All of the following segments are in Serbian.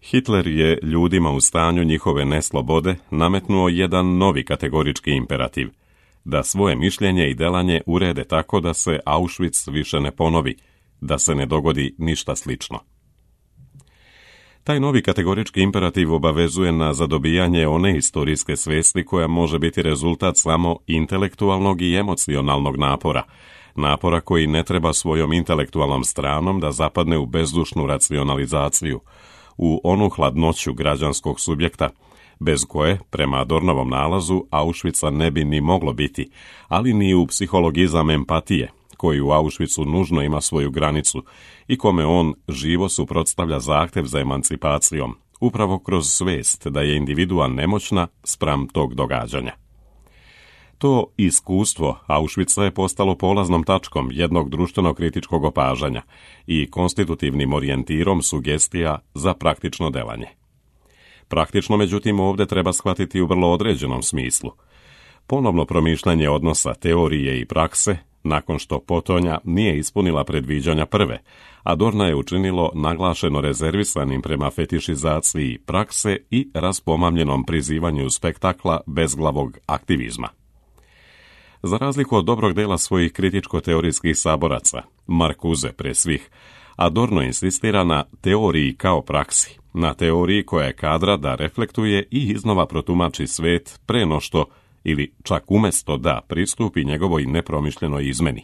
Hitler je ljudima u stanju njihove neslobode nametnuo jedan novi kategorički imperativ, da svoje mišljenje i delanje urede tako da se Auschwitz više ne ponovi, da se ne dogodi ništa slično. Taj novi kategorički imperativ obavezuje na zadobijanje one historijske svesti koja može biti rezultat samo intelektualnog i emocionalnog napora koji ne treba svojom intelektualnom stranom da zapadne u bezdušnu racionalizaciju, u onu hladnoću građanskog subjekta, bez koje, prema Adornovom nalazu, Auschwitza ne bi ni moglo biti, ali ni u psihologizam empatije, koji u Auschwitzu nužno ima svoju granicu i kome on živo suprotstavlja zahtev za emancipacijom, upravo kroz svest da je individua nemoćna spram tog događanja. To iskustvo Auschwitza je postalo polaznom tačkom jednog društveno-kritičkog opažanja i konstitutivnim orijentirom sugestija za praktično delanje. Praktično, međutim, ovdje treba shvatiti u vrlo određenom smislu. Ponovno promišljanje odnosa teorije i prakse, nakon što potonja nije ispunila predviđanja prve, Adorna je učinilo naglašeno rezervisanim prema fetišizaciji prakse i raspomamljenom prizivanju spektakla bezglavog aktivizma. Za razliku od dobrog dela svojih kritičko-teorijskih saboraca, Marcuse pre svih, Adorno insistira na teoriji kao praksi, na teoriji koja je kadra da reflektuje i iznova protumači svet pre no što, ili čak umjesto da pristupi njegovoj nepromišljenoj izmeni.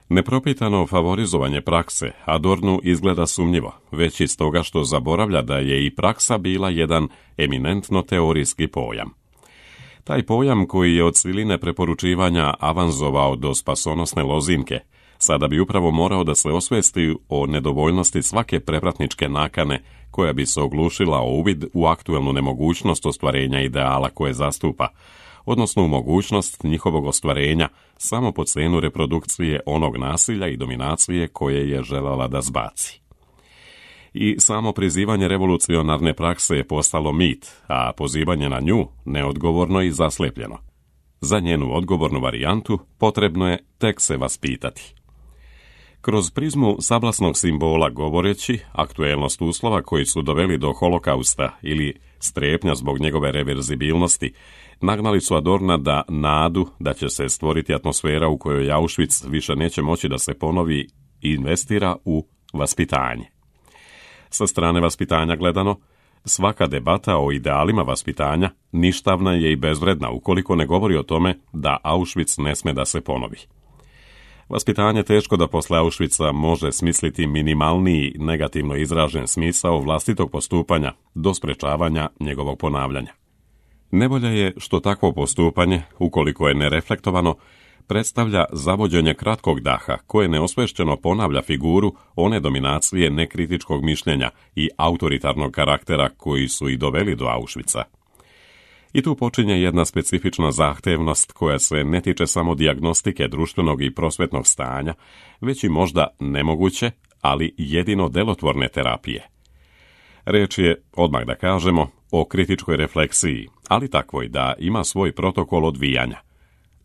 Nepropitano favorizovanje prakse Adornu izgleda sumnjivo, već iz toga što zaboravlja da je i praksa bila jedan eminentno teorijski pojam. Taj pojam koji je od siline preporučivanja avanzovao do spasonosne lozinke, sada bi upravo morao da se osvesti o nedovoljnosti svake prevratničke nakane koja bi se oglušila o uvid u aktuelnu nemogućnost ostvarenja ideala koje zastupa, odnosno u mogućnost njihovog ostvarenja samo po cenu reprodukcije onog nasilja i dominacije koje je željela da zbaci. I samo prizivanje revolucionarne prakse je postalo mit, a pozivanje na nju neodgovorno i zaslepljeno. Za njenu odgovornu varijantu potrebno je tek se vaspitati. Kroz prizmu sablasnog simbola govoreći, aktuelnost uslova koji su doveli do holokausta ili strepnja zbog njegove reverzibilnosti, nagnali su Adorna da nadu da će se stvoriti atmosfera u kojoj Auschwitz više neće moći da se ponovi i investira u vaspitanje. Sa strane vaspitanja gledano, svaka debata o idealima vaspitanja ništavna je i bezvredna ukoliko ne govori o tome da Auschwitz ne sme da se ponovi. Vaspitanje teško da posle Auschwitza može smisliti minimalniji negativno izražen smisao vlastitog postupanja do sprečavanja njegovog ponavljanja. Nevolja je što takvo postupanje, ukoliko je nereflektovano, predstavlja zavođenje kratkog daha koje neosvešćeno ponavlja figuru one dominacije nekritičkog mišljenja i autoritarnog karaktera koji su i doveli do Auschwitza. I tu počinje jedna specifična zahtevnost koja se ne tiče samo dijagnostike društvenog i prosvetnog stanja, već i možda nemoguće, ali jedino delotvorne terapije. Reč je, odmah da kažemo, o kritičkoj refleksiji, ali takvoj da ima svoj protokol odvijanja.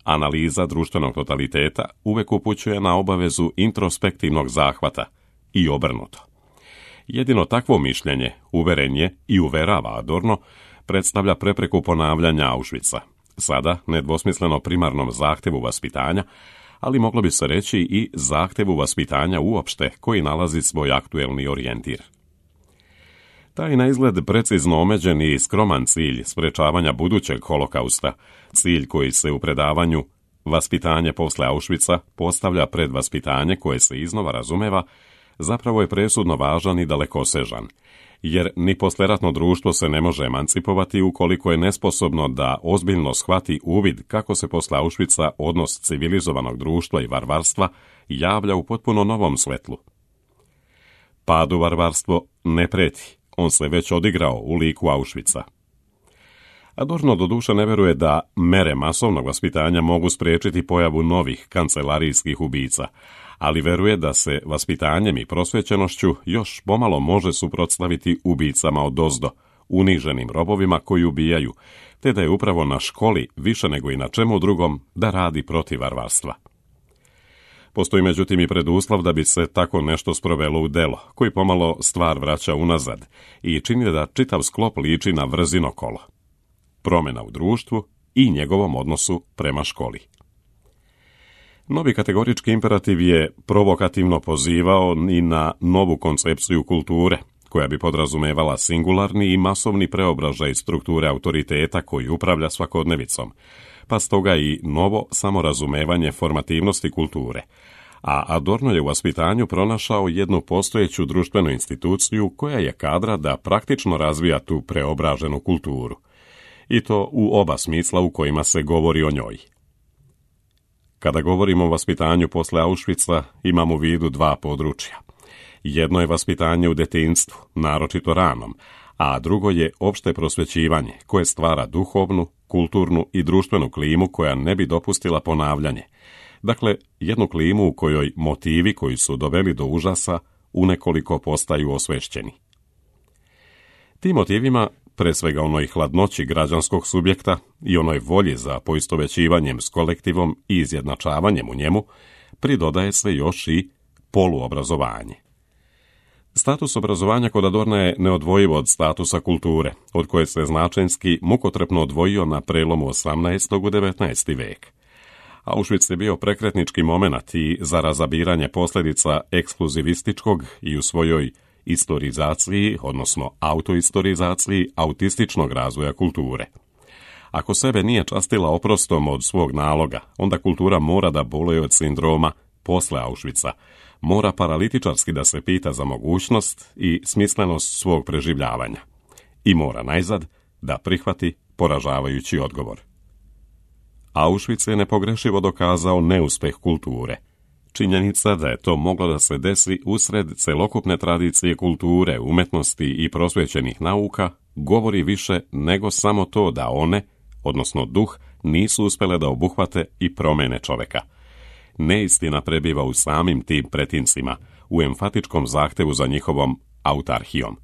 Analiza društvenog totaliteta uvek upućuje na obavezu introspektivnog zahvata i obrnuto. Jedino takvo mišljenje, uveren je i uverava Adorno, predstavlja prepreku ponavljanja Auschwitza, sada nedvosmisleno primarnom zahtevu vaspitanja, ali moglo bi se reći i zahtevu vaspitanja uopšte koji nalazi svoj aktuelni orijentir. Taj na izgled precizno omeđen i skroman cilj sprečavanja budućeg holokausta, cilj koji se u predavanju Vaspitanje posle Auschwitza postavlja pred vaspitanje koje se iznova razumeva, zapravo je presudno važan i dalekosežan, jer ni posleratno društvo se ne može emancipovati ukoliko je nesposobno da ozbiljno shvati uvid kako se posle Auschwitza odnos civilizovanog društva i varvarstva javlja u potpuno novom svetlu. Padu varvarstvo ne preti, on se već odigrao u liku Auschwitza. Adorno doduše ne veruje da mere masovnog vaspitanja mogu spriječiti pojavu novih kancelarijskih ubica, ali veruje da se vaspitanjem i prosvećenošću još pomalo može suprotstaviti ubicama odozdo, uniženim robovima koji ubijaju, te da je upravo na školi više nego i na čemu drugom da radi protiv varvarstva. Postoji međutim i preduslov da bi se tako nešto sprovelo u delo, koji pomalo stvar vraća unazad i čini da čitav sklop liči na vrzino kolo. Promjena u društvu i njegovom odnosu prema školi. Novi kategorički imperativ je provokativno pozivao i na novu koncepciju kulture, koja bi podrazumevala singularni i masovni preobražaj strukture autoriteta koji upravlja svakodnevicom, pa stoga i novo samorazumevanje formativnosti kulture. A Adorno je u vaspitanju pronašao jednu postojeću društvenu instituciju koja je kadra da praktično razvija tu preobraženu kulturu. I to u oba smisla u kojima se govori o njoj. Kada govorimo o vaspitanju posle Auschwitza, imamo u vidu dva područja. Jedno je vaspitanje u detinjstvu, naročito ranom, a drugo je opšte prosvećivanje, koje stvara duhovnu, kulturnu i društvenu klimu koja ne bi dopustila ponavljanje. Dakle, jednu klimu u kojoj motivi koji su doveli do užasa unekoliko postaju osvešćeni. Tim motivima, pre svega onoj hladnoći građanskog subjekta i onoj volji za poistovećivanjem s kolektivom i izjednačavanjem u njemu, pridodaje se još i poluobrazovanje. Status obrazovanja kod Adorna je neodvojivo od statusa kulture, od koje se značenski mukotrpno odvojio na prelomu 18. u 19. vek. Auschwitz je bio prekretnički momenat i za razabiranje posljedica ekskluzivističkog i u svojoj istorizaciji, odnosno autoistorizaciji, autističnog razvoja kulture. Ako sebe nije častila oprostom od svog naloga, onda kultura mora da boluje od sindroma posle Auschwitza, mora paralitičarski da se pita za mogućnost i smislenost svog preživljavanja. I mora najzad da prihvati poražavajući odgovor. Auschwitz je nepogrešivo dokazao neuspeh kulture. Činjenica da je to moglo da se desi usred celokupne tradicije kulture, umetnosti i prosvećenih nauka, govori više nego samo to da one, odnosno duh, nisu uspjele da obuhvate i promene čoveka. Neistina prebiva u samim tim pretincima, u emfatičkom zahtevu za njihovom autarhijom.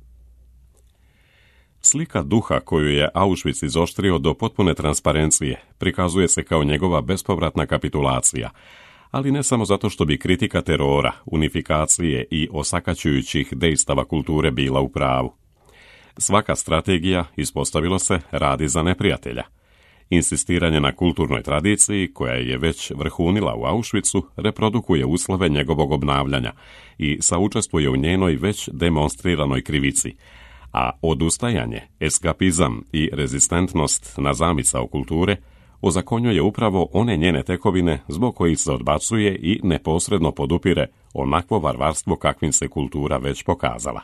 Slika duha koju je Auschwitz izoštrio do potpune transparencije prikazuje se kao njegova bespovratna kapitulacija, ali ne samo zato što bi kritika terora, unifikacije i osakaćujućih dejstava kulture bila u pravu. Svaka strategija, ispostavilo se, radi za neprijatelja. Insistiranje na kulturnoj tradiciji, koja je već vrhunila u Auschwitzu, reprodukuje uslove njegovog obnavljanja i saučestvuje u njenoj već demonstriranoj krivici, a odustajanje, eskapizam i rezistentnost na zamisao kulture ozakonjuje upravo one njene tekovine zbog kojih se odbacuje i neposredno podupire onakvo varvarstvo kakvim se kultura već pokazala.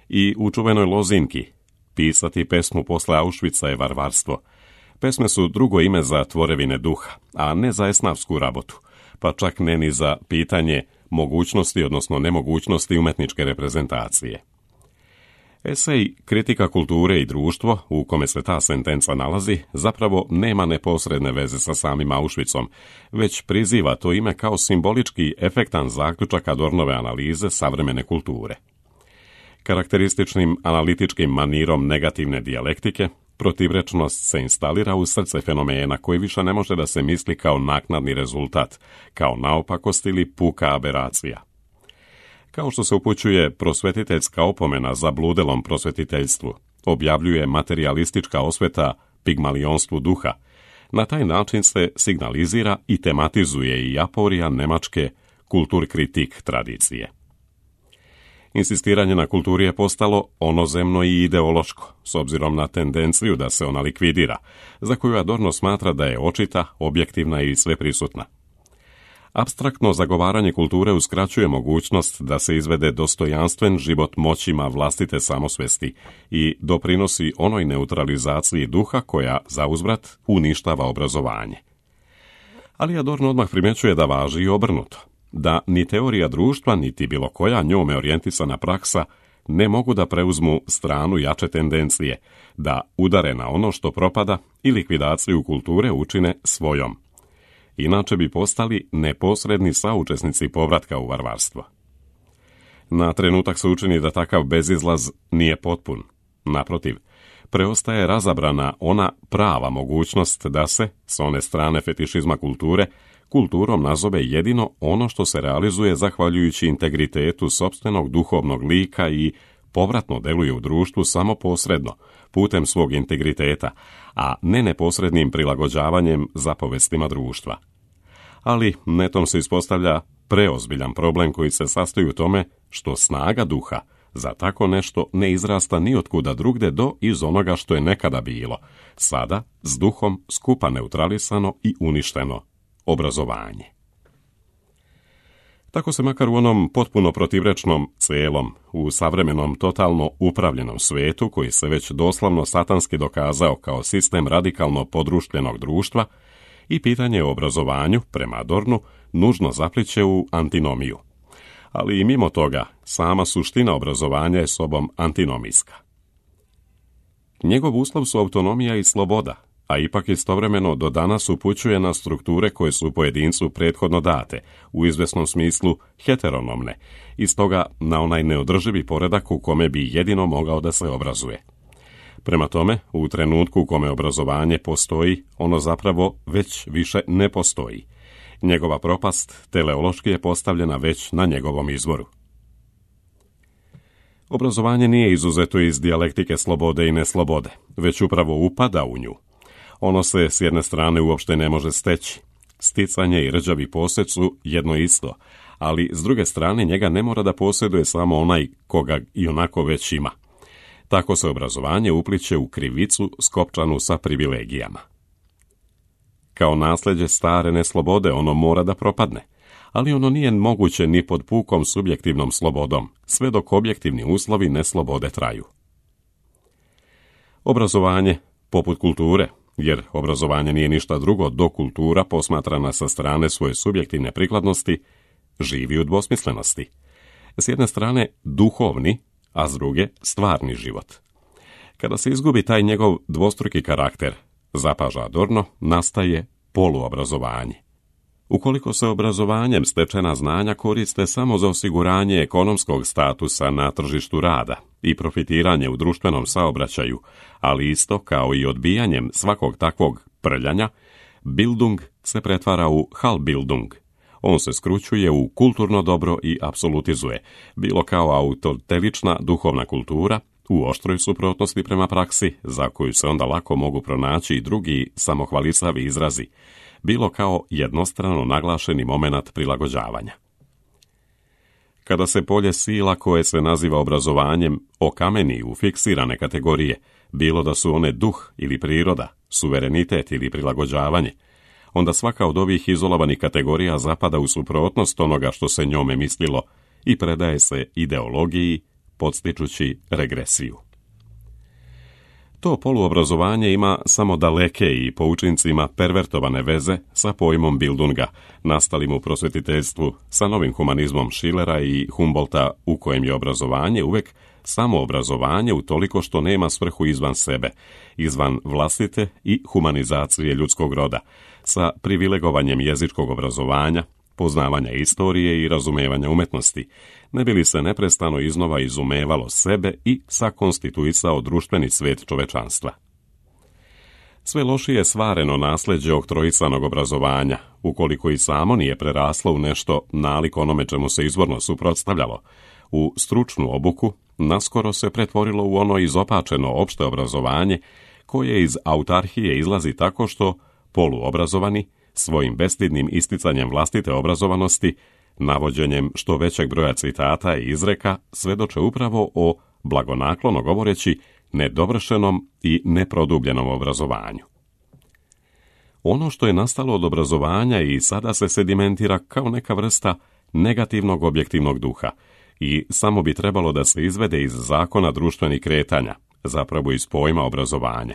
I u čuvenoj lozinki pisati pesmu posle Auschwitza je varvarstvo. Pesme su drugo ime za tvorevine duha, a ne za esnafsku rabotu, pa čak ne ni za pitanje mogućnosti, odnosno nemogućnosti umetničke reprezentacije. Esej Kritika kulture i društvo, u kome se ta sentenca nalazi, zapravo nema neposredne veze sa samim Auschwitzom, već priziva to ime kao simbolički efektan zaključak Adornove analize savremene kulture. Karakterističnim analitičkim manirom negativne dijalektike, protivrečnost se instalira u srce fenomena koji više ne može da se misli kao naknadni rezultat, kao naopakost ili puka aberacija. Kao što se upućuje prosvetiteljska opomena za bludelom prosvetiteljstvu, objavljuje materijalistička osveta pigmalionstvu duha, na taj način se signalizira i tematizuje i aporija nemačke kulturkritik tradicije. Insistiranje na kulturi je postalo onozemno i ideološko, s obzirom na tendenciju da se ona likvidira, za koju Adorno smatra da je očita, objektivna i sveprisutna. Apstraktno zagovaranje kulture uskraćuje mogućnost da se izvede dostojanstven život moćima vlastite samosvesti i doprinosi onoj neutralizaciji duha koja, zauzvrat, uništava obrazovanje. Ali Adorno odmah primjećuje da važi i obrnuto, da ni teorija društva, niti bilo koja njome orijentisana praksa ne mogu da preuzmu stranu jače tendencije, da udare na ono što propada i likvidaciju kulture učine svojom. Inače bi postali neposredni saučesnici povratka u varvarstvo. Na trenutak se učini da takav bezizlaz nije potpun. Naprotiv, preostaje razabrana ona prava mogućnost da se, s one strane fetišizma kulture, kulturom nazove jedino ono što se realizuje zahvaljujući integritetu sopstvenog duhovnog lika i povratno deluje u društvu samo posredno, putem svog integriteta, a ne neposrednim prilagođavanjem zapovestima društva. Ali netom se ispostavlja preozbiljan problem koji se sastoji u tome što snaga duha za tako nešto ne izrasta ni otkuda drugde do iz onoga što je nekada bilo, sada s duhom skupa neutralisano i uništeno, obrazovanje. Tako se makar u onom potpuno protivrečnom celom, u savremenom totalno upravljenom svetu, koji se već doslovno satanski dokazao kao sistem radikalno podruštljenog društva, i pitanje o obrazovanju, prema Adornu, nužno zapliće u antinomiju. Ali i mimo toga, sama suština obrazovanja je sobom antinomijska. Njegov uslov su autonomija i sloboda, a ipak istovremeno do danas upućuje na strukture koje su pojedincu prethodno date, u izvesnom smislu heteronomne, i stoga na onaj neodrživi poredak u kome bi jedino mogao da se obrazuje. Prema tome, u trenutku u kome obrazovanje postoji, ono zapravo već više ne postoji. Njegova propast teleološki je postavljena već na njegovom izvoru. Obrazovanje nije izuzeto iz dijalektike slobode i neslobode, već upravo upada u nju. Ono se s jedne strane uopšte ne može steći. Sticanje i rđavi posjed su jedno isto, ali s druge strane njega ne mora da posjeduje samo onaj koga i onako već ima. Tako se obrazovanje upliće u krivicu skopčanu sa privilegijama. Kao nasljeđe stare neslobode ono mora da propadne, ali ono nije moguće ni pod pukom subjektivnom slobodom, sve dok objektivni uslovi neslobode traju. Obrazovanje, poput kulture, jer obrazovanje nije ništa drugo do kultura posmatrana sa strane svoje subjektivne prikladnosti, živi u dvosmislenosti. S jedne strane duhovni, a s druge stvarni život. Kada se izgubi taj njegov dvostruki karakter, zapaža Adorno, nastaje poluobrazovanje. Ukoliko se obrazovanjem stečena znanja koriste samo za osiguranje ekonomskog statusa na tržištu rada i profitiranje u društvenom saobraćaju, ali isto kao i odbijanjem svakog takvog prljanja, Bildung se pretvara u Halbildung. On se skrućuje u kulturno dobro i apsolutizuje, bilo kao autotelična duhovna kultura, u oštroj suprotnosti prema praksi, za koju se onda lako mogu pronaći i drugi samohvalisavi izrazi, bilo kao jednostrano naglašeni momenat prilagođavanja. Kada se polje sila koje se naziva obrazovanjem okameni u fiksirane kategorije, bilo da su one duh ili priroda, suverenitet ili prilagođavanje, onda svaka od ovih izolovanih kategorija zapada u suprotnost onoga što se njome mislilo i predaje se ideologiji, podstičući regresiju. To poluobrazovanje ima samo daleke i po učincima pervertovane veze sa pojmom Bildunga, nastalim u prosvetiteljstvu, sa novim humanizmom Schillera i Humboldta, u kojem je obrazovanje uvek samo obrazovanje utoliko što nema svrhu izvan sebe, izvan vlastite i humanizacije ljudskog roda, sa privilegovanjem jezičkog obrazovanja, poznavanja istorije i razumevanja umetnosti, ne bi li se neprestano iznova izumevalo sebe i sakonstituisao društveni svet čovečanstva. Sve lošije svareno nasljeđe oktroisanog obrazovanja, ukoliko i samo nije preraslo u nešto nalik onome čemu se izvorno suprotstavljalo, u stručnu obuku, naskoro se pretvorilo u ono izopačeno opšte obrazovanje, koje iz autarhije izlazi tako što poluobrazovani, svojim bestidnim isticanjem vlastite obrazovanosti, navođenjem što većeg broja citata i izreka, svedoče upravo o, blagonaklono govoreći, nedovršenom i neprodubljenom obrazovanju. Ono što je nastalo od obrazovanja i sada se sedimentira kao neka vrsta negativnog objektivnog duha i samo bi trebalo da se izvede iz zakona društvenih kretanja, zapravo iz pojma obrazovanja.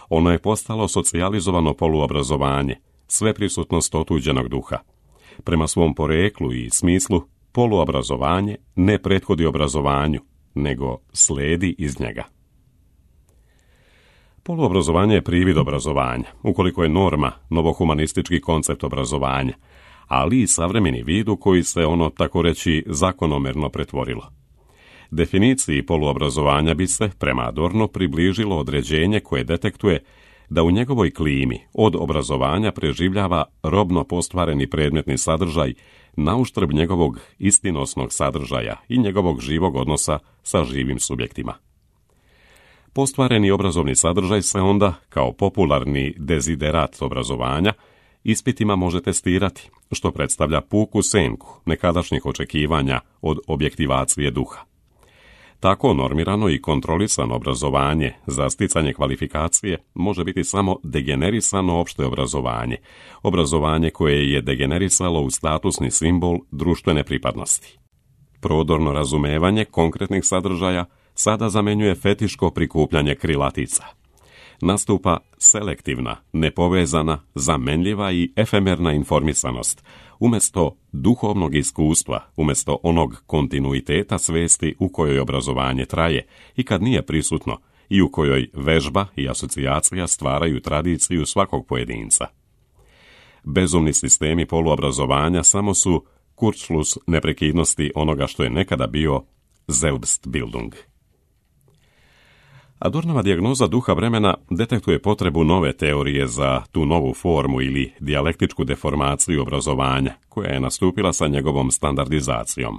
Ono je postalo socijalizovano poluobrazovanje, sveprisutnost otuđenog duha. Prema svom poreklu i smislu, poluobrazovanje ne prethodi obrazovanju, nego sledi iz njega. Poluobrazovanje je privid obrazovanja, ukoliko je norma novohumanistički koncept obrazovanja, ali i savremeni vid u koji se ono, tako reći, zakonomerno pretvorilo. Definiciji poluobrazovanja bi se, prema Adornu, približilo određenje koje detektuje da u njegovoj klimi od obrazovanja preživljava robno postvareni predmetni sadržaj na uštrb njegovog istinosnog sadržaja i njegovog živog odnosa sa živim subjektima. Postvareni obrazovni sadržaj se onda, kao popularni deziderat obrazovanja, ispitima može testirati, što predstavlja puku senku nekadašnjih očekivanja od objektivacije duha. Tako normirano i kontrolisano obrazovanje za sticanje kvalifikacije može biti samo degenerisano opšte obrazovanje, obrazovanje koje je degenerisalo u statusni simbol društvene pripadnosti. Prodorno razumevanje konkretnih sadržaja sada zamenjuje fetiško prikupljanje krilatica. Nastupa selektivna, nepovezana, zamenljiva i efemerna informisanost, umjesto duhovnog iskustva, umjesto onog kontinuiteta svesti u kojoj obrazovanje traje i kad nije prisutno i u kojoj vežba i asocijacija stvaraju tradiciju svakog pojedinca. Bezumni sistemi poluobrazovanja samo su Kurzschluss neprekidnosti onoga što je nekada bio Selbstbildung. Adornova dijagnoza duha vremena detektuje potrebu nove teorije za tu novu formu ili dijalektičku deformaciju obrazovanja, koja je nastupila sa njegovom standardizacijom.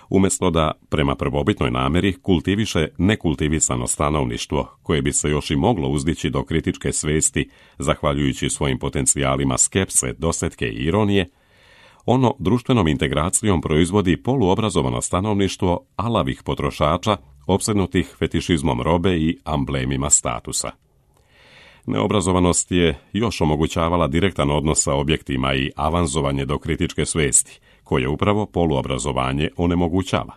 Umjesto da, prema prvobitnoj namjeri, kultiviše nekultivisano stanovništvo, koje bi se još i moglo uzdići do kritičke svesti, zahvaljujući svojim potencijalima skepse, dosetke i ironije, ono društvenom integracijom proizvodi poluobrazovano stanovništvo alavih potrošača, opsednutih fetišizmom robe i amblemima statusa. Neobrazovanost je još omogućavala direktan odnos sa objektima i avanzovanje do kritičke svesti, koje upravo poluobrazovanje onemogućava.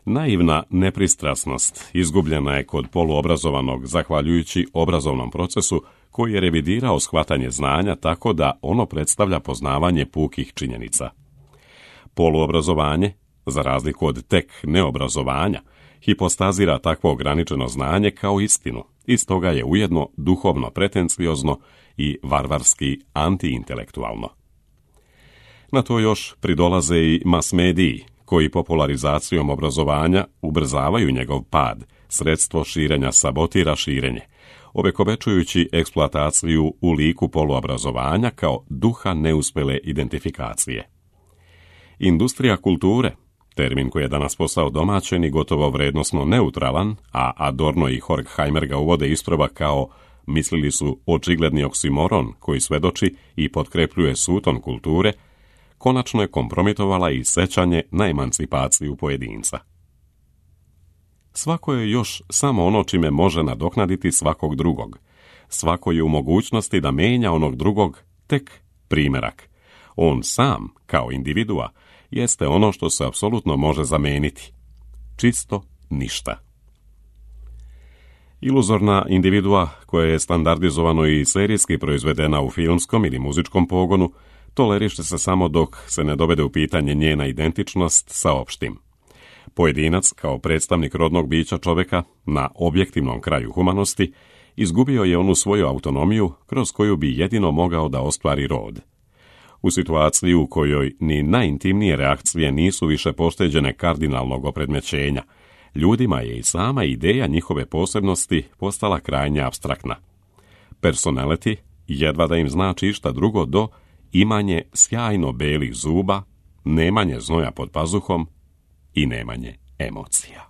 Naivna nepristrasnost izgubljena je kod poluobrazovanog zahvaljujući obrazovnom procesu koji je revidirao shvatanje znanja tako da ono predstavlja poznavanje pukih činjenica. Poluobrazovanje, za razliku od tek neobrazovanja, hipostazira takvo ograničeno znanje kao istinu i stoga je ujedno duhovno pretenciozno i varvarski antiintelektualno. Na to još pridolaze i mas-mediji, koji popularizacijom obrazovanja ubrzavaju njegov pad, sredstvo širenja sabotira širenje, ovekovečujući eksploataciju u liku poluobrazovanja kao duha neuspjele identifikacije. Industrija kulture, termin koji je danas postao domaćen i gotovo vrednosno neutralan, a Adorno i Horkheimer ga uvode isprva kao mislili su očigledni oksimoron koji svedoči i potkrepljuje suton kulture, konačno je kompromitovala i sećanje na emancipaciju pojedinca. Svako je još samo ono čime može nadoknaditi svakog drugog. Svako je u mogućnosti da menja onog drugog tek primjerak. On sam, kao individua, jeste ono što se apsolutno može zameniti. Čisto ništa. Iluzorna individua koja je standardizovano i serijski proizvedena u filmskom ili muzičkom pogonu toleriše se samo dok se ne dovede u pitanje njena identičnost sa opštim. Pojedinac, kao predstavnik rodnog bića čovjeka, na objektivnom kraju humanosti, izgubio je onu svoju autonomiju kroz koju bi jedino mogao da ostvari rod. U situaciji u kojoj ni najintimnije reakcije nisu više pošteđene kardinalnog opredmećenja, ljudima je i sama ideja njihove posebnosti postala krajnje apstraktna. Personality jedva da im znači išta drugo do imanje sjajno belih zuba, nemanje znoja pod pazuhom i nemanje emocija.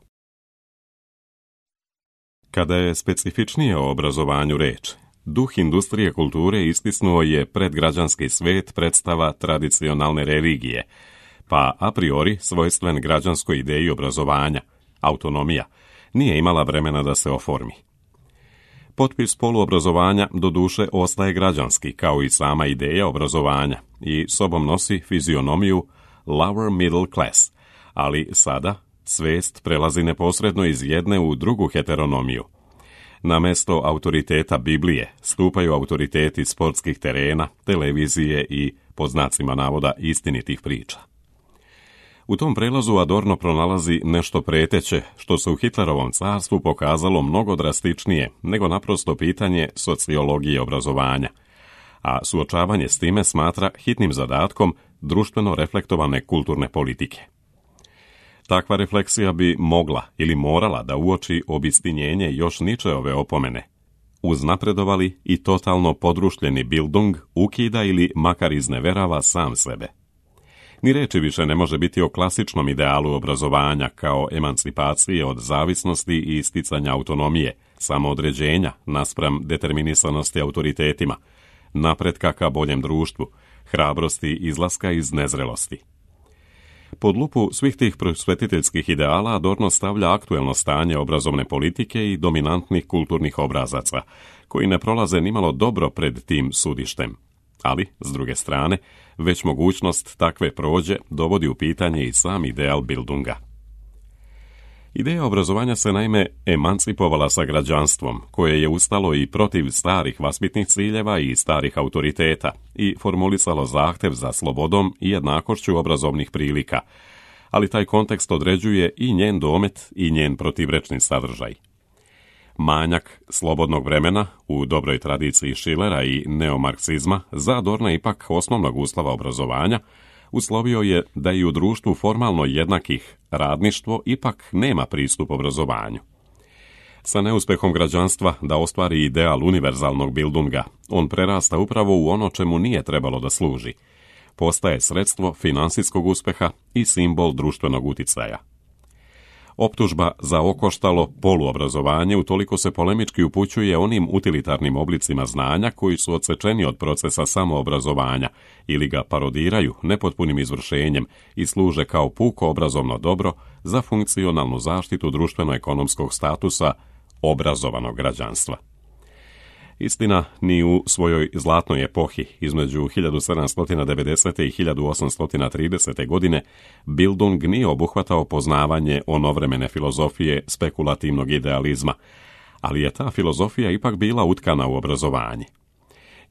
Kada je specifičnije o obrazovanju reč, duh industrije kulture istisnuo je predgrađanski svet predstava tradicionalne religije, pa a priori svojstven građanskoj ideji obrazovanja, autonomija, nije imala vremena da se oformi. Potpis poluobrazovanja doduše ostaje građanski, kao i sama ideja obrazovanja, i sobom nosi fizionomiju lower middle class, ali sada svest prelazi neposredno iz jedne u drugu heteronomiju. Na mesto autoriteta Biblije stupaju autoriteti sportskih terena, televizije i, po znacima navoda, istinitih priča. U tom prelazu Adorno pronalazi nešto preteće, što se u Hitlerovom carstvu pokazalo mnogo drastičnije nego naprosto pitanje sociologije obrazovanja, a suočavanje s time smatra hitnim zadatkom društveno reflektovane kulturne politike. Takva refleksija bi mogla ili morala da uoči obistinjenje još Nietzscheove opomene. uznapredovali i totalno podrušljeni Bildung ukida ili makar izneverava sam sebe. Ni reči više ne može biti o klasičnom idealu obrazovanja kao emancipacije od zavisnosti i isticanja autonomije, samoodređenja naspram determinisanosti autoritetima, napretka ka boljem društvu, hrabrosti izlaska iz nezrelosti. Pod lupu svih tih prosvetiteljskih ideala Adorno stavlja aktuelno stanje obrazovne politike i dominantnih kulturnih obrazaca, koji ne prolaze nimalo dobro pred tim sudištem. Ali, s druge strane, već mogućnost takve prođe dovodi u pitanje i sam ideal Bildunga. Ideja obrazovanja se naime emancipovala sa građanstvom, koje je ustalo i protiv starih vaspitnih ciljeva i starih autoriteta i formulisalo zahtev za slobodom i jednakošću obrazovnih prilika, ali taj kontekst određuje i njen domet i njen protivrečni sadržaj. Manjak slobodnog vremena u dobroj tradiciji Schillera i neomarksizma za Adorna ipak osnovnog uslova obrazovanja uslovio je da i u društvu formalno jednakih radništvo ipak nema pristup obrazovanju. Sa neuspehom građanstva da ostvari ideal univerzalnog Bildunga, on prerasta upravo u ono čemu nije trebalo da služi. Postaje sredstvo finansijskog uspeha i simbol društvenog uticaja. Optužba za okoštalo poluobrazovanje utoliko se polemički upućuje onim utilitarnim oblicima znanja koji su odsečeni od procesa samoobrazovanja ili ga parodiraju nepotpunim izvršenjem i služe kao puko obrazovno dobro za funkcionalnu zaštitu društveno-ekonomskog statusa obrazovanog građanstva. Istina, ni u svojoj zlatnoj epohi između 1790. i 1830. godine Bildung nije obuhvatao poznavanje onovremene filozofije spekulativnog idealizma, ali je ta filozofija ipak bila utkana u obrazovanje.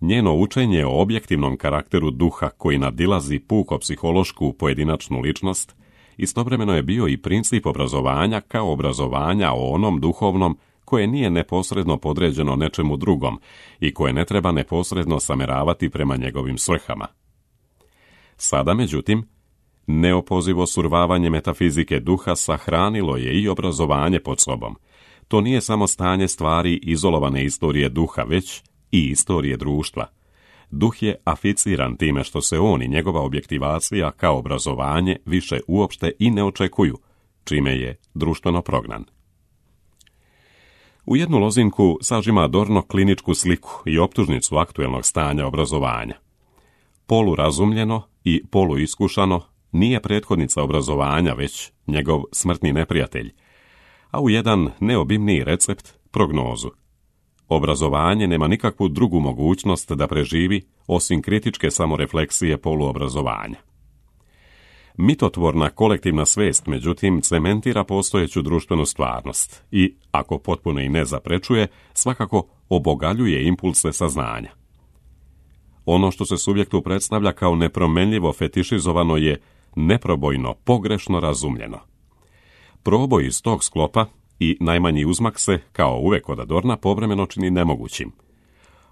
Njeno učenje o objektivnom karakteru duha koji nadilazi puko psihološku pojedinačnu ličnost istovremeno je bio i princip obrazovanja kao obrazovanja o onom duhovnom koje nije neposredno podređeno nečemu drugom i koje ne treba neposredno sameravati prema njegovim svrhama. Sada, međutim, neopozivo survavanje metafizike duha sahranilo je i obrazovanje pod sobom. To nije samo stanje stvari izolovane istorije duha, već i istorije društva. Duh je aficiran time što se on i njegova objektivacija kao obrazovanje više uopšte i ne očekuju, čime je društveno prognan. U jednu lozinku sažima Adorno kliničku sliku i optužnicu aktuelnog stanja obrazovanja. Polurazumljeno i poluiskušano nije prethodnica obrazovanja, već njegov smrtni neprijatelj, a u jedan neobimniji recept prognozu. Obrazovanje nema nikakvu drugu mogućnost da preživi osim kritičke samorefleksije poluobrazovanja. Mitotvorna kolektivna svest, međutim, cementira postojeću društvenu stvarnost i, ako potpuno i ne zaprečuje, svakako obogaljuje impulse saznanja. Ono što se subjektu predstavlja kao nepromenljivo fetišizovano je neprobojno, pogrešno razumljeno. Proboj iz tog sklopa i najmanji uzmak se, kao uvek kod Adorna, povremeno čini nemogućim.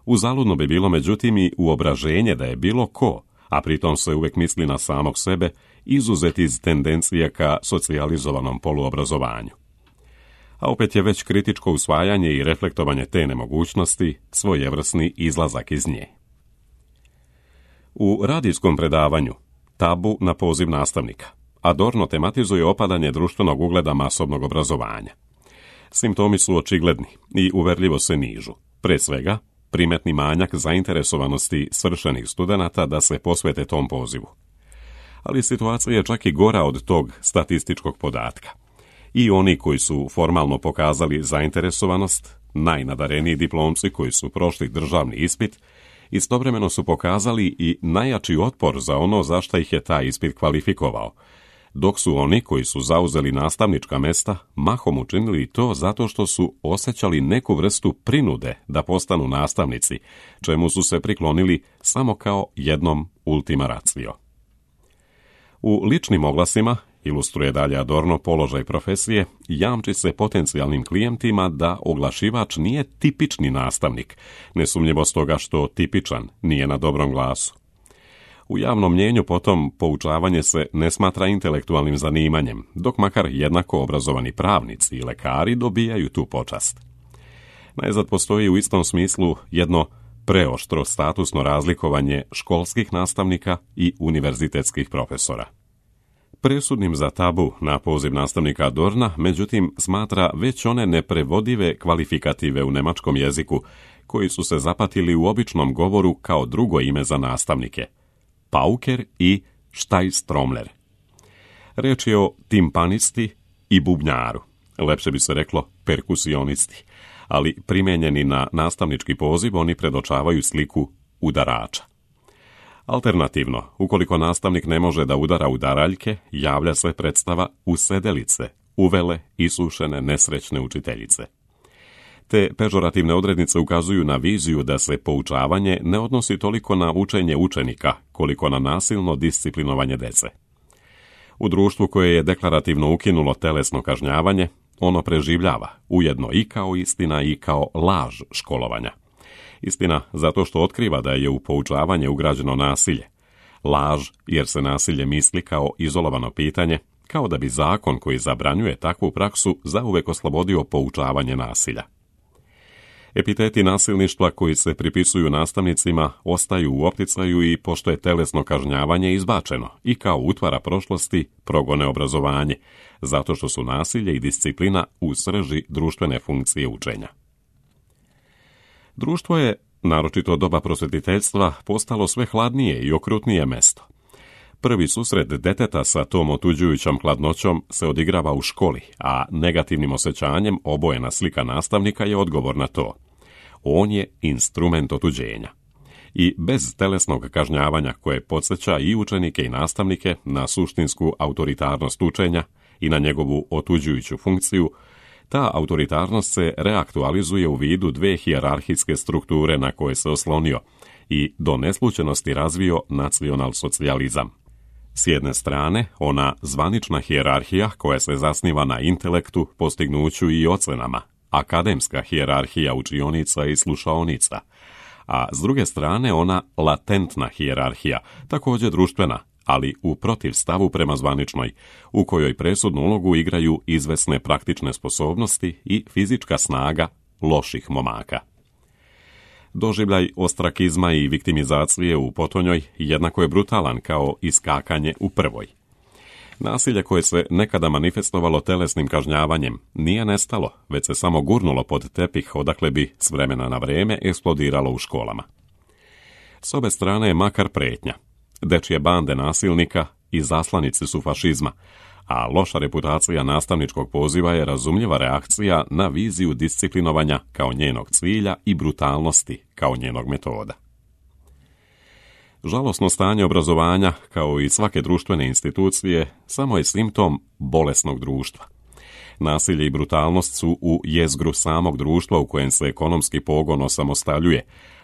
Uzaludno bi bilo, međutim, i uobraženje da je bilo ko, a pritom se uvek misli na samog sebe, izuzet iz tendencije ka socijalizovanom poluobrazovanju. A opet je već kritičko usvajanje i reflektovanje te nemogućnosti svojevrsni izlazak iz nje. U radijskom predavanju Tabu na poziv nastavnika Adorno tematizuje opadanje društvenog ugleda masovnog obrazovanja. Simptomi su očigledni i uverljivo se nižu. Pre svega, primetni manjak zainteresovanosti svršenih studenata da se posvete tom pozivu. Ali situacija je čak i gora od tog statističkog podatka. I oni koji su formalno pokazali zainteresovanost, najnadareniji diplomci koji su prošli državni ispit, istovremeno su pokazali i najjači otpor za ono za šta ih je taj ispit kvalifikovao, dok su oni koji su zauzeli nastavnička mesta mahom učinili to zato što su osjećali neku vrstu prinude da postanu nastavnici, čemu su se priklonili samo kao jednom ultima ratio. U ličnim oglasima, ilustruje dalje Adorno položaj profesije, jamči se potencijalnim klijentima da oglašivač nije tipični nastavnik, nesumnjivo stoga što tipičan nije na dobrom glasu. U javnom mnjenju potom poučavanje se ne smatra intelektualnim zanimanjem, dok makar jednako obrazovani pravnici i lekari dobijaju tu počast. Najzad postoji u istom smislu jedno preoštro statusno razlikovanje školskih nastavnika i univerzitetskih profesora. Presudnim za tabu na poziv nastavnika Adorna, međutim, smatra već one neprevodive kvalifikative u nemačkom jeziku, koji su se zapatili u običnom govoru kao drugo ime za nastavnike, pauker i štajstromler. Reč je o timpanisti i bubnjaru, lepše bi se reklo perkusionisti, ali primijenjeni na nastavnički poziv oni predočavaju sliku udarača. Alternativno, ukoliko nastavnik ne može da udara udaraljke, javlja se predstava usedelice, uvele isušene nesrećne učiteljice. Te pežorativne odrednice ukazuju na viziju da se poučavanje ne odnosi toliko na učenje učenika, koliko na nasilno disciplinovanje dece. U društvu koje je deklarativno ukinulo telesno kažnjavanje, ono preživljava, ujedno i kao istina i kao laž školovanja. Istina zato što otkriva da je u poučavanje ugrađeno nasilje. Laž jer se nasilje misli kao izolovano pitanje, kao da bi zakon koji zabranjuje takvu praksu zauvek oslobodio poučavanje nasilja. Epiteti nasilništva koji se pripisuju nastavnicima ostaju u opticaju i pošto je telesno kažnjavanje izbačeno i kao utvara prošlosti progone obrazovanje, zato što su nasilje i disciplina u srži društvene funkcije učenja. Društvo je, naročito od doba prosvetiteljstva, postalo sve hladnije i okrutnije mesto. Prvi susret deteta sa tom otuđujućom hladnoćom se odigrava u školi, a negativnim osjećanjem obojena slika nastavnika je odgovor na to. On je instrument otuđenja. I bez telesnog kažnjavanja koje podsjeća i učenike i nastavnike na suštinsku autoritarnost učenja i na njegovu otuđujuću funkciju, ta autoritarnost se reaktualizuje u vidu dve hijerarhijske strukture na koje se oslonio i do neslučenosti razvio nacionalsocijalizam. S jedne strane, ona zvanična hijerarhija koja se zasniva na intelektu, postignuću i ocenama, akademska hijerarhija učionica i slušaonica, a s druge strane ona latentna hijerarhija, također društvena, ali u protivstavu prema zvaničnoj, u kojoj presudnu ulogu igraju izvesne praktične sposobnosti i fizička snaga loših momaka. Doživljaj ostrakizma i viktimizacije u potonjoj jednako je brutalan kao iskakanje u prvoj. Nasilje koje se nekada manifestovalo telesnim kažnjavanjem nije nestalo, već se samo gurnulo pod tepih odakle bi s vremena na vrijeme eksplodiralo u školama. S obe strane je makar pretnja. Dečje bande nasilnika i zaslanici su fašizma, a loša reputacija nastavničkog poziva je razumljiva reakcija na viziju disciplinovanja kao njenog cilja i brutalnosti kao njenog metoda. Žalosno stanje obrazovanja, kao i svake društvene institucije, samo je simptom bolesnog društva. Nasilje i brutalnost su u jezgru samog društva u kojem se ekonomski pogon osamostaljuje,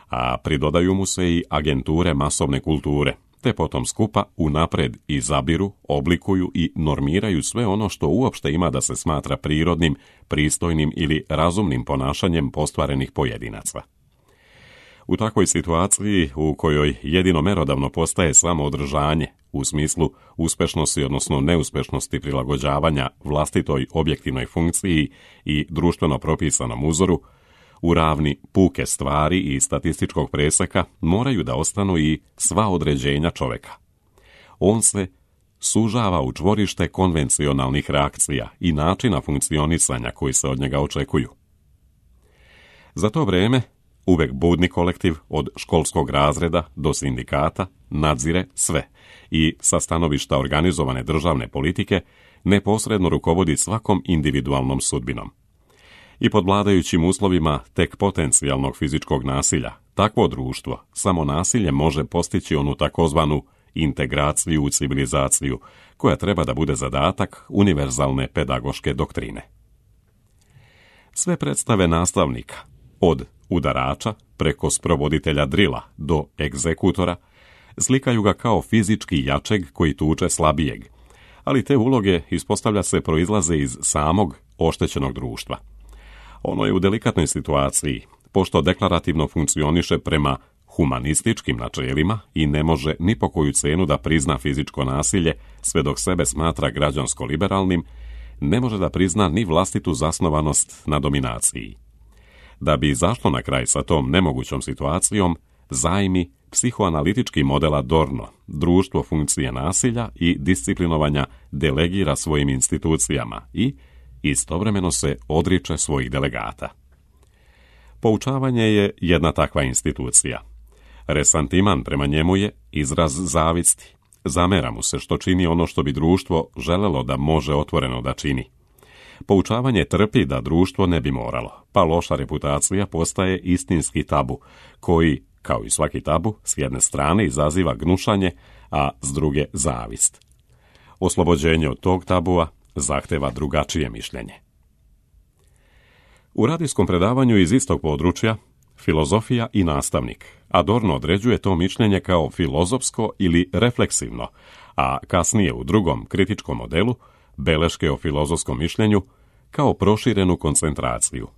a pridodaju mu se i agenture masovne kulture, te potom skupa unapred izabiru, oblikuju i normiraju sve ono što uopšte ima da se smatra prirodnim, pristojnim ili razumnim ponašanjem postvarenih pojedinaca. U takvoj situaciji, u kojoj jedino merodavno postaje samo održanje, u smislu uspešnosti odnosno neuspešnosti prilagođavanja vlastitoj objektivnoj funkciji i društveno propisanom uzoru, u ravni puke stvari i statističkog preseka moraju da ostanu i sva određenja čoveka. On se sužava u čvorište konvencionalnih reakcija i načina funkcionisanja koji se od njega očekuju. Za to vrijeme, uvek budni kolektiv od školskog razreda do sindikata nadzire sve i sa stanovišta organizovane državne politike neposredno rukovodi svakom individualnom sudbinom. I pod vladajućim uslovima tek potencijalnog fizičkog nasilja, takvo društvo samo nasilje može postići onu takozvanu integraciju u civilizaciju, koja treba da bude zadatak univerzalne pedagoške doktrine. Sve predstave nastavnika, od udarača preko sprovoditelja drila do egzekutora, slikaju ga kao fizički jačeg koji tuče slabijeg, ali te uloge, ispostavlja se, proizlaze iz samog oštećenog društva. Ono je u delikatnoj situaciji, pošto deklarativno funkcioniše prema humanističkim načelima i ne može ni po koju cenu da prizna fizičko nasilje, sve dok sebe smatra građansko-liberalnim, ne može da prizna ni vlastitu zasnovanost na dominaciji. Da bi izašlo na kraj sa tom nemogućom situacijom, zajmi psihoanalitički model Adorno, društvo funkcije nasilja i disciplinovanja delegira svojim institucijama i istovremeno se odriče svojih delegata. Poučavanje je jedna takva institucija. Resantiman prema njemu je izraz zavisti. Zamera mu se što čini ono što bi društvo želelo da može otvoreno da čini. Poučavanje trpi da društvo ne bi moralo, pa loša reputacija postaje istinski tabu, koji, kao i svaki tabu, s jedne strane izaziva gnušanje, a s druge zavist. Oslobođenje od tog tabua zahteva drugačije mišljenje. U radijskom predavanju iz istog područja, Filozofija i nastavnik, Adorno određuje to mišljenje kao filozofsko ili refleksivno, a kasnije u drugom kritičkom modelu, beleške o filozofskom mišljenju, kao proširenu koncentraciju.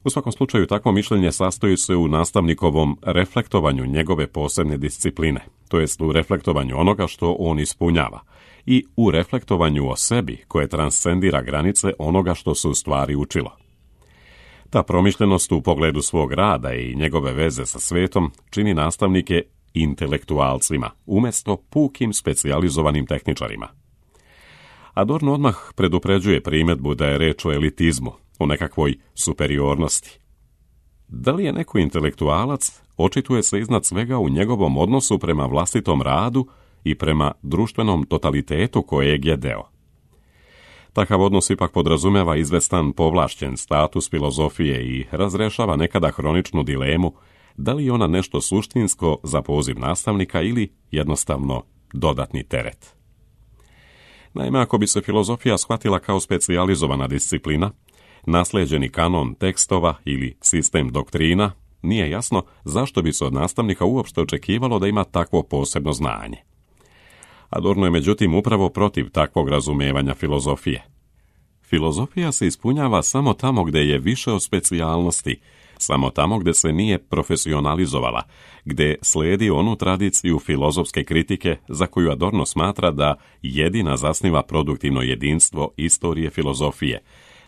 U svakom slučaju takvo mišljenje sastoji se u nastavnikovom reflektovanju njegove posebne discipline, to jest u reflektovanju onoga što on ispunjava, i u reflektovanju o sebi koje transcendira granice onoga što se u stvari učilo. Ta promišljenost u pogledu svog rada i njegove veze sa svetom čini nastavnike intelektualcima, umjesto pukim specijalizovanim tehničarima. Adorno odmah predupređuje primjedbu da je reč o elitizmu, o nekakvoj superiornosti. Da li je neko intelektualac, očituje se iznad svega u njegovom odnosu prema vlastitom radu i prema društvenom totalitetu kojeg je deo. Takav odnos ipak podrazumeva izvestan povlašćen status filozofije i razrešava nekada hroničnu dilemu da li je ona nešto suštinsko za poziv nastavnika ili jednostavno dodatni teret. Naime, ako bi se filozofija shvatila kao specijalizovana disciplina, naslijeđeni kanon tekstova ili sistem doktrina, nije jasno zašto bi se od nastavnika uopšte očekivalo da ima takvo posebno znanje. Adorno je međutim upravo protiv takvog razumevanja filozofije. Filozofija se ispunjava samo tamo gdje je više od specijalnosti, samo tamo gdje se nije profesionalizovala, gdje slijedi onu tradiciju filozofske kritike za koju Adorno smatra da jedina zasniva produktivno jedinstvo istorije filozofije,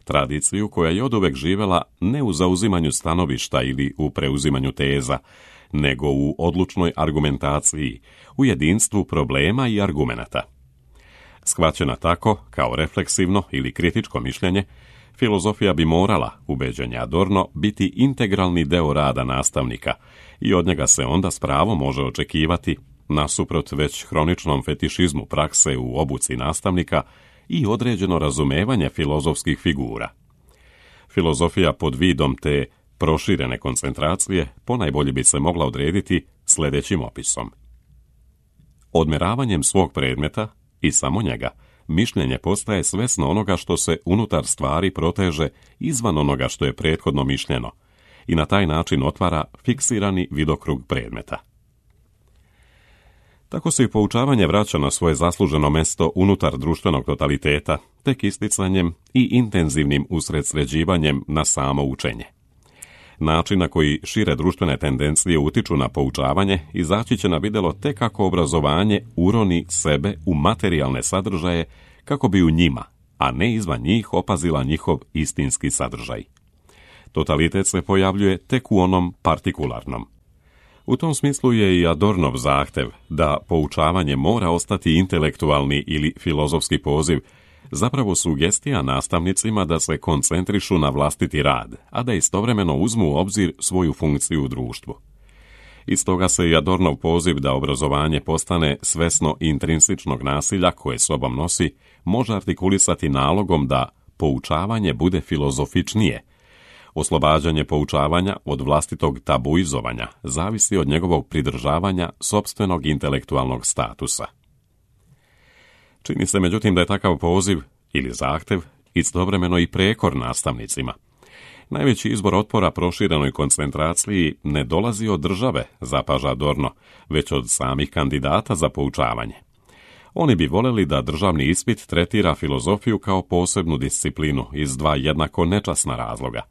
tradiciju koja je oduvek živjela ne u zauzimanju stanovišta ili u preuzimanju teza, nego u odlučnoj argumentaciji, u jedinstvu problema i argumenata. Shvaćena tako, kao refleksivno ili kritičko mišljenje, filozofija bi morala, ubeđenje Adorno, biti integralni deo rada nastavnika i od njega se onda s pravom može očekivati, nasuprot već hroničnom fetišizmu prakse u obuci nastavnika, i određeno razumevanje filozofskih figura. Filozofija pod vidom te proširene koncentracije ponajbolje bi se mogla odrediti sljedećim opisom. Odmeravanjem svog predmeta, i samo njega, mišljenje postaje svesno onoga što se unutar stvari proteže izvan onoga što je prethodno mišljeno i na taj način otvara fiksirani vidokrug predmeta. Tako se i poučavanje vraća na svoje zasluženo mesto unutar društvenog totaliteta, tek isticanjem i intenzivnim usredsređivanjem na samo učenje. Način na koji šire društvene tendencije utiču na poučavanje izaći će na vidjelo tek kako obrazovanje uroni sebe u materijalne sadržaje kako bi u njima, a ne izvan njih, opazila njihov istinski sadržaj. Totalitet se pojavljuje tek u onom partikularnom. U tom smislu je i Adornov zahtev da poučavanje mora ostati intelektualni ili filozofski poziv, zapravo sugestija nastavnicima da se koncentrišu na vlastiti rad, a da istovremeno uzmu u obzir svoju funkciju u društvu. Iz toga se i Adornov poziv da obrazovanje postane svesno intrinsičnog nasilja koje sobom nosi, može artikulisati nalogom da poučavanje bude filozofičnije. Oslobađanje poučavanja od vlastitog tabuizovanja zavisi od njegovog pridržavanja sopstvenog intelektualnog statusa. Čini se međutim da je takav poziv ili zahtev istovremeno i prekor nastavnicima. Najveći izbor otpora proširenoj koncentraciji ne dolazi od države, zapaža Adorno, već od samih kandidata za poučavanje. Oni bi voljeli da državni ispit tretira filozofiju kao posebnu disciplinu iz dva jednako nečasna razloga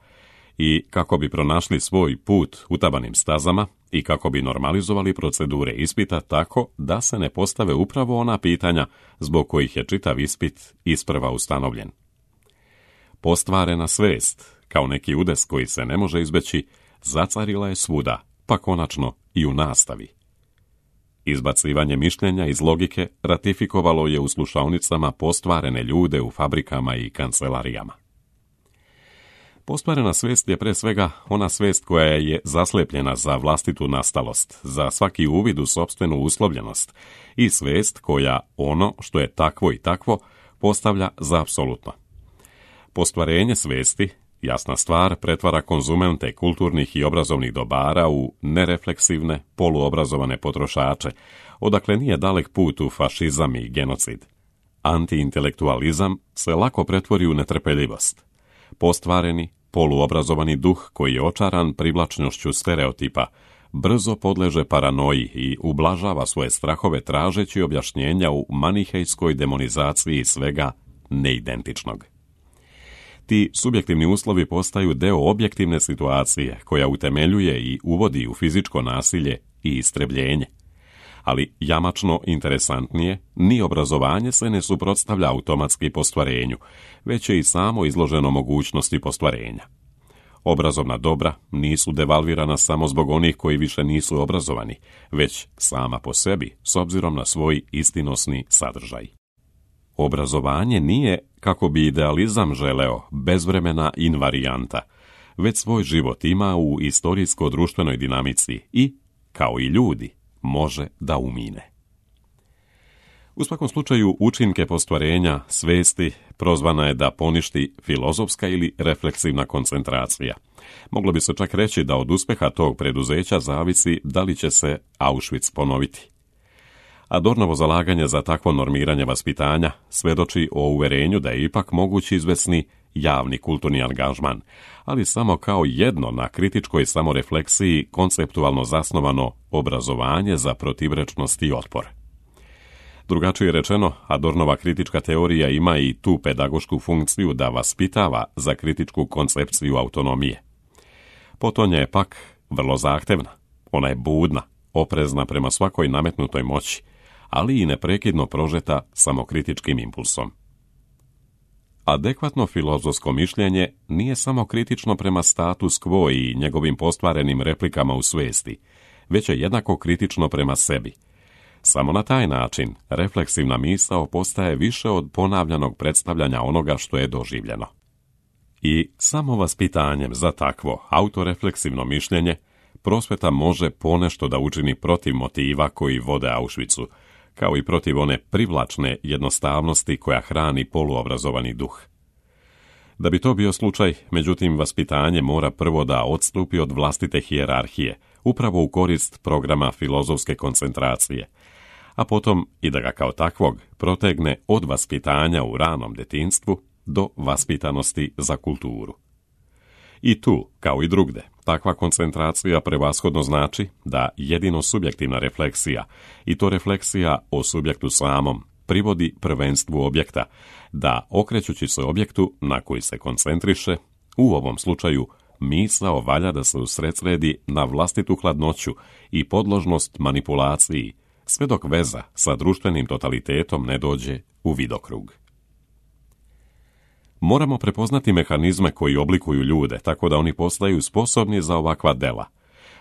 i kako bi pronašli svoj put utabanim stazama i kako bi normalizovali procedure ispita tako da se ne postave upravo ona pitanja zbog kojih je čitav ispit isprva ustanovljen. Postvarena svest, kao neki udes koji se ne može izbeći, zacarila je svuda, pa konačno i u nastavi. Izbacivanje mišljenja iz logike ratifikovalo je u slušaonicama postvarene ljude u fabrikama i kancelarijama. Postvarena svijest je pre svega ona svijest koja je zaslepljena za vlastitu nastalost, za svaki uvid u sopstvenu uslovljenost i svijest koja ono što je takvo i takvo postavlja za apsolutno. Postvarenje svijesti, jasna stvar, pretvara konzumente kulturnih i obrazovnih dobara u nerefleksivne, poluobrazovane potrošače, odakle nije dalek put u fašizam i genocid. Antiintelektualizam se lako pretvori u netrpeljivost. Postvareni, poluobrazovani duh koji je očaran privlačnošću stereotipa, brzo podleže paranoji i ublažava svoje strahove tražeći objašnjenja u manihejskoj demonizaciji svega neidentičnog. Ti subjektivni uslovi postaju deo objektivne situacije koja utemeljuje i uvodi u fizičko nasilje i istrebljenje. Ali jamačno interesantnije, ni obrazovanje se ne suprotstavlja automatski postvarenju, već je i samo izloženo mogućnosti postvarenja. Obrazovna dobra nisu devalvirana samo zbog onih koji više nisu obrazovani, već sama po sebi, s obzirom na svoj istinosni sadržaj. Obrazovanje nije, kako bi idealizam želeo, bezvremena invarijanta, već svoj život ima u istorijsko-društvenoj dinamici i, kao i ljudi, može da umine. U svakom slučaju, učinke postvarenja svesti prozvana je da poništi filozofska ili refleksivna koncentracija. Moglo bi se čak reći da od uspeha tog preduzeća zavisi da li će se Auschwitz ponoviti. Adornovo zalaganje za takvo normiranje vaspitanja svedoči o uverenju da je ipak moguć izvesni javni kulturni angažman, ali samo kao jedno na kritičkoj samorefleksiji konceptualno zasnovano obrazovanje za protivrečnost i otpor. Drugačije rečeno, Adornova kritička teorija ima i tu pedagošku funkciju da vaspitava za kritičku koncepciju autonomije. Potonja je pak vrlo zahtevna, ona je budna, oprezna prema svakoj nametnutoj moći, ali i neprekidno prožeta samokritičkim impulsom. Adekvatno filozofsko mišljenje nije samo kritično prema status quo i njegovim postvarenim replikama u svijesti, već je jednako kritično prema sebi. Samo na taj način refleksivna misao postaje više od ponavljanog predstavljanja onoga što je doživljeno. I samo vaspitanjem za takvo autorefleksivno mišljenje prosveta može ponešto da učini protiv motiva koji vode Auschwitzu, kao i protiv one privlačne jednostavnosti koja hrani poluobrazovani duh. Da bi to bio slučaj, međutim, vaspitanje mora prvo da odstupi od vlastite hijerarhije, upravo u korist programa filozofske koncentracije, a potom i da ga kao takvog protegne od vaspitanja u ranom detinjstvu do vaspitanosti za kulturu. I tu, kao i drugde, takva koncentracija prevashodno znači da jedino subjektivna refleksija, i to refleksija o subjektu samom, privodi prvenstvu objekta, da okrećući se objektu na koji se koncentriše, u ovom slučaju misao valja da se usredsredi na vlastitu hladnoću i podložnost manipulaciji, sve dok veza sa društvenim totalitetom ne dođe u vidokrug. Moramo prepoznati mehanizme koji oblikuju ljude, tako da oni postaju sposobni za ovakva dela.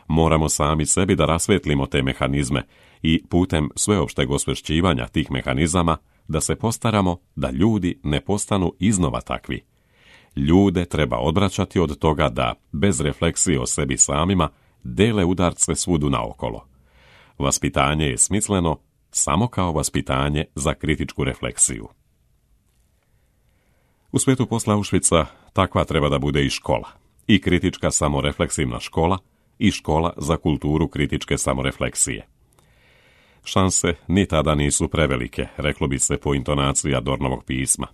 Moramo sami sebi da rasvetlimo te mehanizme i putem sveopšteg osvešćivanja tih mehanizama da se postaramo da ljudi ne postanu iznova takvi. Ljude treba odvraćati od toga da, bez refleksije o sebi samima, dele udarce svudu naokolo. Vaspitanje je smisleno samo kao vaspitanje za kritičku refleksiju. U svijetu posle Auschwitza takva treba da bude i škola, i kritička samorefleksivna škola, i škola za kulturu kritičke samorefleksije. Šanse ni tada nisu prevelike, reklo bi se po intonaciji Adornovog pisma.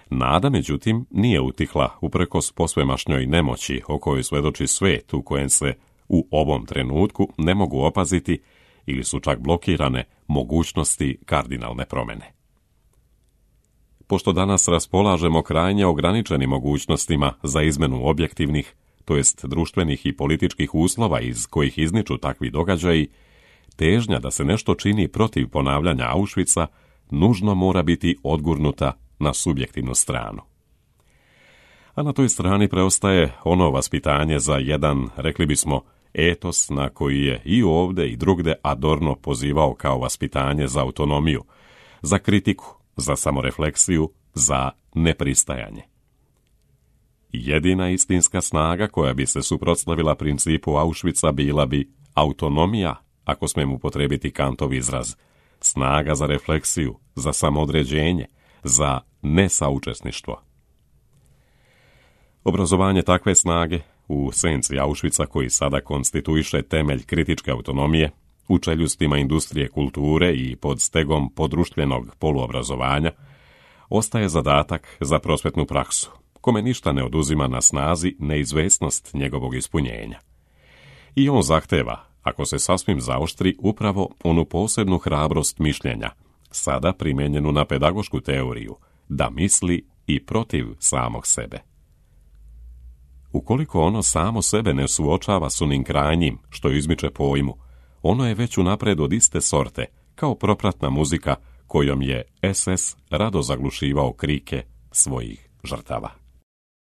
Nada, međutim, nije utihla uprkos posvemašnjoj nemoći o kojoj svedoči svijet u kojem se u ovom trenutku ne mogu opaziti ili su čak blokirane mogućnosti kardinalne promjene. Pošto danas raspolažemo krajnje ograničenim mogućnostima za izmenu objektivnih, to jest društvenih i političkih uslova iz kojih izniču takvi događaji, težnja da se nešto čini protiv ponavljanja Auschwitza nužno mora biti odgurnuta na subjektivnu stranu. a na toj strani preostaje ono vaspitanje za jedan, rekli bismo, etos na koji je i ovdje i drugde Adorno pozivao kao vaspitanje za autonomiju, za kritiku, za samorefleksiju, za nepristajanje. Jedina istinska snaga koja bi se suprotstavila principu Auschwitza bila bi autonomija, ako smemo upotrijebiti Kantov izraz, snaga za refleksiju, za samoodređenje, za nesaučesništvo. Obrazovanje takve snage u senci Auschwitza, koji sada konstituiše temelj kritičke autonomije, u čeljustima industrije kulture i pod stegom podruštvenog poluobrazovanja, ostaje zadatak za prosvetnu praksu, kome ništa ne oduzima na snazi neizvesnost njegovog ispunjenja. I on zahteva, ako se sasvim zaoštri, upravo onu posebnu hrabrost mišljenja, sada primijenjenu na pedagošku teoriju, da misli i protiv samog sebe. Ukoliko ono samo sebe ne suočava s onim krajnjim što izmiče pojmu, ono je već unapred od iste sorte, kao propratna muzika kojom je SS rado zaglušivao krike svojih žrtava.